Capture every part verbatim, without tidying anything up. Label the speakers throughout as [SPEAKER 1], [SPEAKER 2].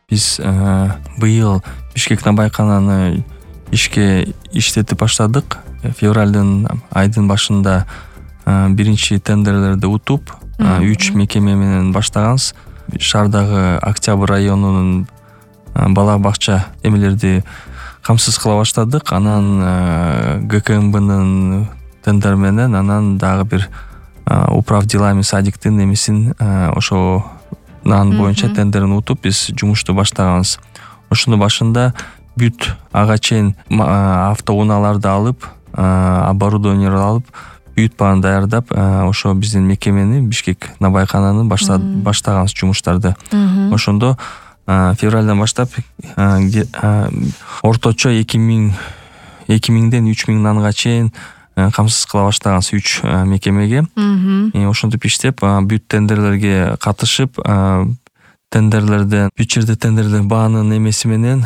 [SPEAKER 1] Биз быйыл Бишкек набайкананы ишке иштетип баштадык. Февралдын айдын башында биринчи тендерлерди утуп, үч мекеме менен баштаганбыз. Шаардагы Октябрь районунун бала бакча эмелерди камсыз кыла баштадык. Анан ГКМБнын тендер менен, анан дагы бир управ делами садиктин эмесин ошо нан боюнча тендерин утуп биз жумушту баштаганбыз. Ошонун башында бүт ага чейин автоунааларды алып, оборудованияларды алып, бүт баарын даярдап, ошо биздин мекемени Бишкек набайкананы баштаганбыз жумуштарды. Ошондо февралдан баштап орточо эки миңден үч миң нанга чейин камсыз кыла баштаганбыз үч мекемеге. Ошентип иштеп, бүт тендерлерге катышып, тендерлерден, бүт жерде тендерлердин баанын эмеси менен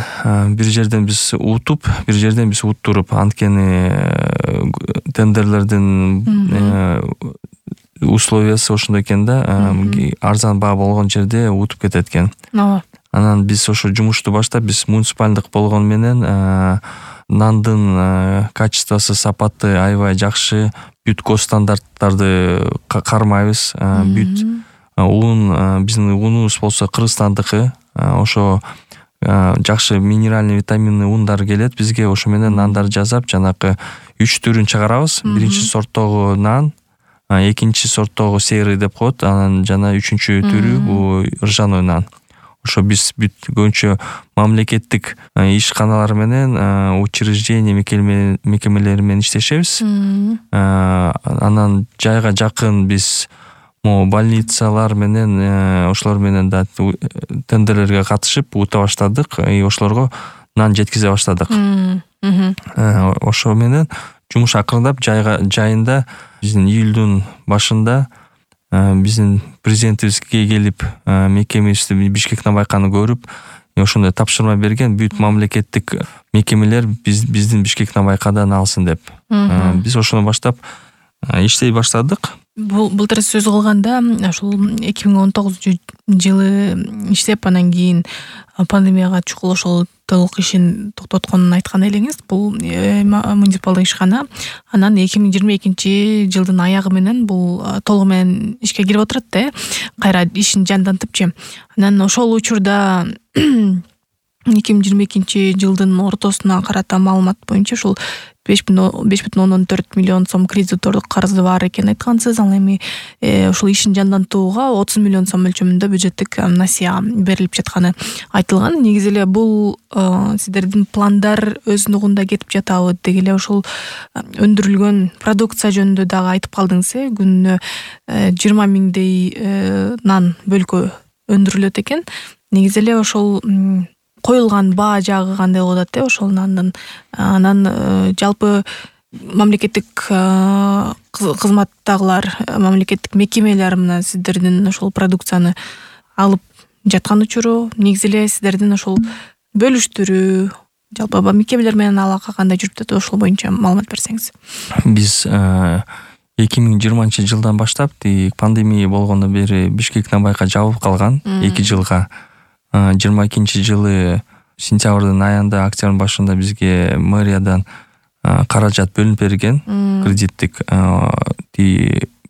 [SPEAKER 1] бир жерден биз утуп, бир жерден биз уттуруп, анткени тендерлердин условиясы ошондой экен да, арзан баа болгон жерде утуп кетет экен. Анан биз ошо жумушту баштап, биз муниципалдык болгон менен нандын качествосу, сапаты аябай жакшы, бүт госстандарттарды кармайбыз. Бүт ун, биздин унубуз болсо Кыргызстандыкы, ошо жакшы минеральный витаминный ундар келет бизге. Ошо менен нандар жасап, жанакы үч түрүн чыгарабыз. Биринчи сорттогу нан, экинчи сорттогу серый деп коет, анан жана үчүнчү түрү бул ржаной нан. Ошо биз бүт көбүнчө мамлекеттик ишканалар менен, учреждение мекемелери менен иштешебиз. Анан жайга жакын биз больницалар менен, ошолор менен да тендерлерге катышып ута баштадык, и ошолорго нан жеткизе баштадык. Ошо менен жумуш акырындап жайга жайында биздин июлдун башында биздин президентибизге келип, мекемебизди Бишкек набайканы көрүп, ошондой тапшырма берген, бүт мамлекеттик мекемелер биздин Бишкек набайкадан алсын деп. Биз ошону баштап иштей баштадык.
[SPEAKER 2] Былтыр сөз кылганда, ушул эки миң он тогузунчу жылы иштеп, анан кийин пандемияга чукул ошол толук ишин токтотконун айткан элеңиз. Бул муниципалдык ишкана анан эки миң жыйырма экинчи жылдын аягы менен бул толугу менен ишке кирип отурат да, кайра ишин жандантыпчы. Анан ошол учурда эки миң жыйырма экинчи жылдын ортосуна карата маалымат боюнча ушул беш бүтүн ондон төрт миллион сом кредитордук карызы бар экен айткансыз. Ал эми ушул ишин жандантууга отуз миллион сом мөлчөрүндө бюджеттик насыя берилип жатканы айтылган. Негизи эле бул сиздердин пландар өз нугунда кетип жатабы? Деги эле ушул өндүрүлгөн продукция жөнүндө дагы айтып калдыңыз, э? Күнүнө жыйырма миңдей нан бөлкө өндүрүлөт экен. Негизи эле ошол коюлган баа жагы кандай болот, э, ошол нандын? Анан жалпы мамлекеттик кызматтагылар, мамлекеттик мекемелер мына сиздердин ошол продукцияны алып жаткан учуру, негизи эле сиздердин ошол бөлүштүрүү, жалпы мекемелер менен алака кандай жүрүп жатат, ошол боюнча маалымат берсеңиз.
[SPEAKER 1] Биз эки миң жыйырманчы жылдан баштап, пандемия болгондон бери Бишкек набайка жабылып калган эки жылга. жыйырма экинчи жылы сентябрдын аягында, октябрдын башында бизге мэриядан каражат бөлүнүп берген, кредиттик,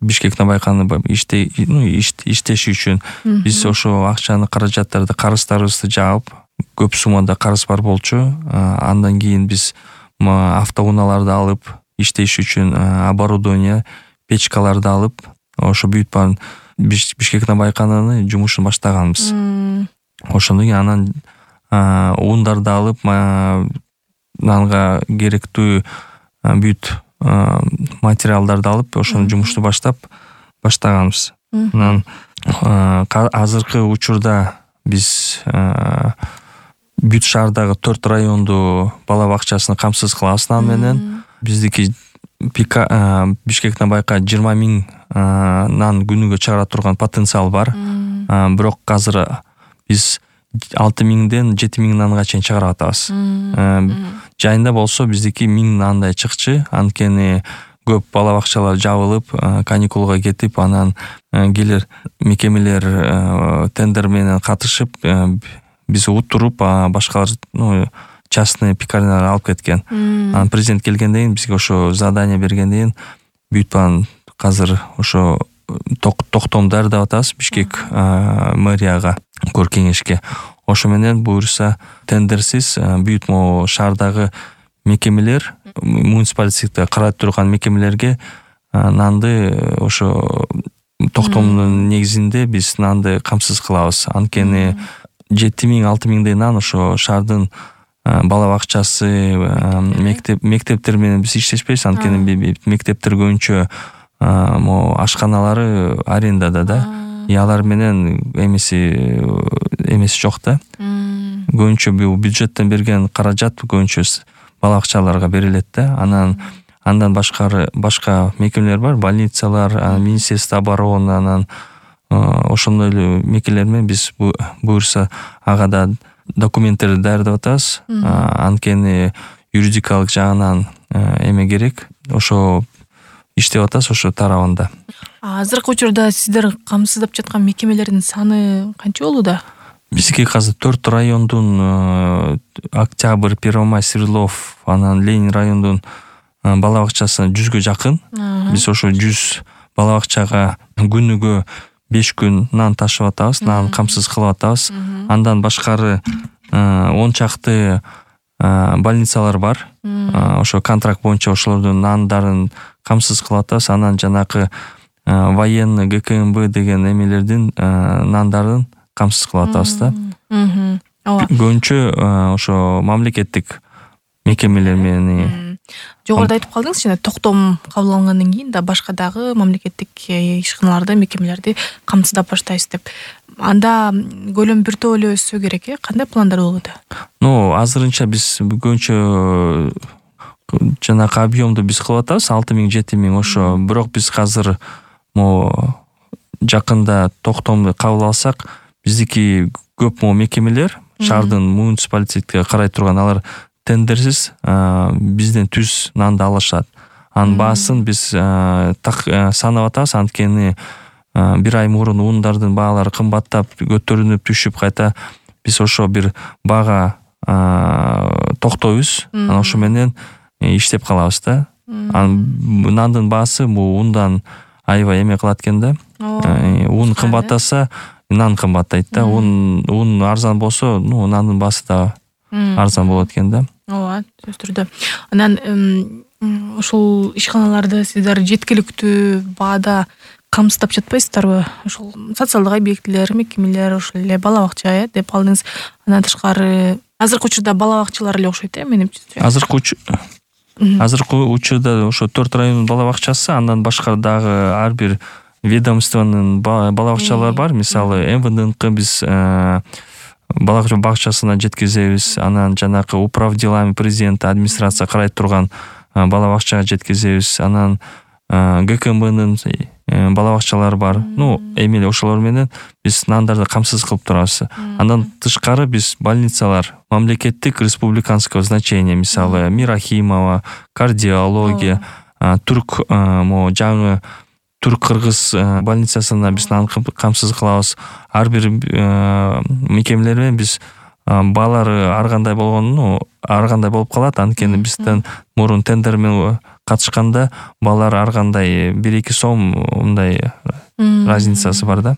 [SPEAKER 1] Бишкек набайканы иштеши үчүн. Биз ошо акчаны, каражаттарды, карыздарыбызды жаап, көп суммада карыз бар болчу. Андан кийин биз автоунааларды алып, иштеш үчүн оборудование, печкаларды алып, ошо бүт баарын Бишкек набайканын жумушун баштаганбыз. Ошондон кийин анан ундарды алып, нанга керектүү бүт материалдарды алып, ошону жумушту баштап баштаганбыз. Анан азыркы учурда биз бүт шаардагы төрт районду бала бакчасын камсыз кылабыз нан менен. Биздики Бишкек набайка жыйырма миң нан күнүгө чыгара турган потенциал бар. Бирок азыр биз алты миңден жети миң нанга чейин чыгарып атабыз. Жайында болсо биздики миң нандай чыкчы, анткени көп бала бакчалар жабылып, каникулга кетип, анан келер мекемелер тендер менен катышып, биз утуруп башкалар ну частный пекарнялар алып кеткен. Анан президент келгенден кийин бизге ошо задание бергенден кийин бүйтпан казыр ошо токтом даярдап атабыз Бишкек мэрияга көр кеңешке. Ошо менен буюрса тендерсиз бүт могу шаардагы мекемелер, муниципалитетте карап турган мекемелерге нанды ошо токтомдун негизинде биз нанды камсыз кылабыз. Анткени жети миң алты миңдей нан ошо шаардын бала бакчасы, мектеп мектептер менен биз иштешпейбиз. Анткени мектептер көбүнчө могу ашканалары арендада да. И алар менен эмеси эмеси жок да. Көбүнчө бул бюджеттен берген каражат көбүнчө бала бакчаларга берилет да. Анан андан башкары башка мекемелер бар, больницалар, Министерство обороны, анан ошондой эле мекемелер менен биз буюрса ага да документтерди даярдап атабыз. Анткени юридикалык жагынан эме керек. Ошо иштеп атабыз ошо тарабында.
[SPEAKER 2] Азыркы учурда сиздер камсыздап жаткан мекемелердин саны канча болууда?
[SPEAKER 1] Бизге азыр төрт райондун Октябрь, Первомай, Свердлов, анан Ленин райондун бала бакчасы жүзгө жакын. Биз ошо жүз бала бакчага күнүгө беш күн нан ташып атабыз, нан камсыз кылып атабыз. Андан башкары он чакты больницалар бар. Ошо контракт боюнча ошолордун нандарын камсыз кылып атабыз. Анан жанакы военный ГКМБ деген эмелердин нандарын камсыз кылып атабыз да. Көбүнчө ошо мамлекеттик мекемелер менен.
[SPEAKER 2] Жогоруда айтып калдыңыз, жана токтом кабыл алынгандан кийин да башка дагы мамлекеттик ишканаларды, мекемелерди камсыздап баштайбыз деп. Анда көлөм бир топ эле өссө керек э? Кандай пландар болууда?
[SPEAKER 1] Ну, азырынча биз көбүнчө жанакы объемду биз кылып атабыз, алты миң жети миң ошо. Бирок биз азыр могу жакында токтомду кабыл алсак, биздики көп могу мекемелер шаардын муниципалитетке карай турган, алар тендерсиз бизден түз нанды алышат. Анын баасын биз так санап атабыз, анткени бир ай мурун ундардын баалары кымбаттап көтөрүнүп түшүп, кайта биз ошо бир бага токтойбуз. Анан ошо менен иштеп калабыз да. Анан нандын баасы бул ундан аябай эме кылат экен да. Ун кымбаттаса, нан кымбаттайт да. Ун ун арзан болсо, ну нандын баасы да арзан болот экен да.
[SPEAKER 2] Ооба, сөзсүз түрдө. Анан ушул ишканаларды сиздер жеткиликтүү баада камсыздап жатпайсыздарбы? Ошол социалдык объектилер, мекемелер, ошол эле бала бакча э деп алдыңыз. Андан тышкары азыркы учурда бала бакчалар эле окшойт э, менимче.
[SPEAKER 1] Азыркы азыркы учурда ошо төрт райондун бала бакчасы, андан башка дагы ар бир ведомствонун бала бакчалары бар. Мисалы, эм вэ дэ эн ка биз бала бакчасына жеткизебиз. Анан жанакы управ делами президента администрация карай турган бала бакчага жеткизебиз. Анан гэ ка эм бнын бала бакчалары бар. Ну, эмеле ошолор менен биз нандарды камсыз кылып турабыз. Андан тышкары биз больницалар, мамлекеттик республиканского значения, мисалы Мирахимова, кардиология, түрк могу жаңы Түрк-кыргыз больницасына биз нан камсыз кылабыз. Ар бир мекемелер менен биз баалары ар кандай болгону ар кандай болуп калат. Анткени бизден мурун тендер менен катышканда баалар ар кандай бир эки сом мындай разницасы бар да.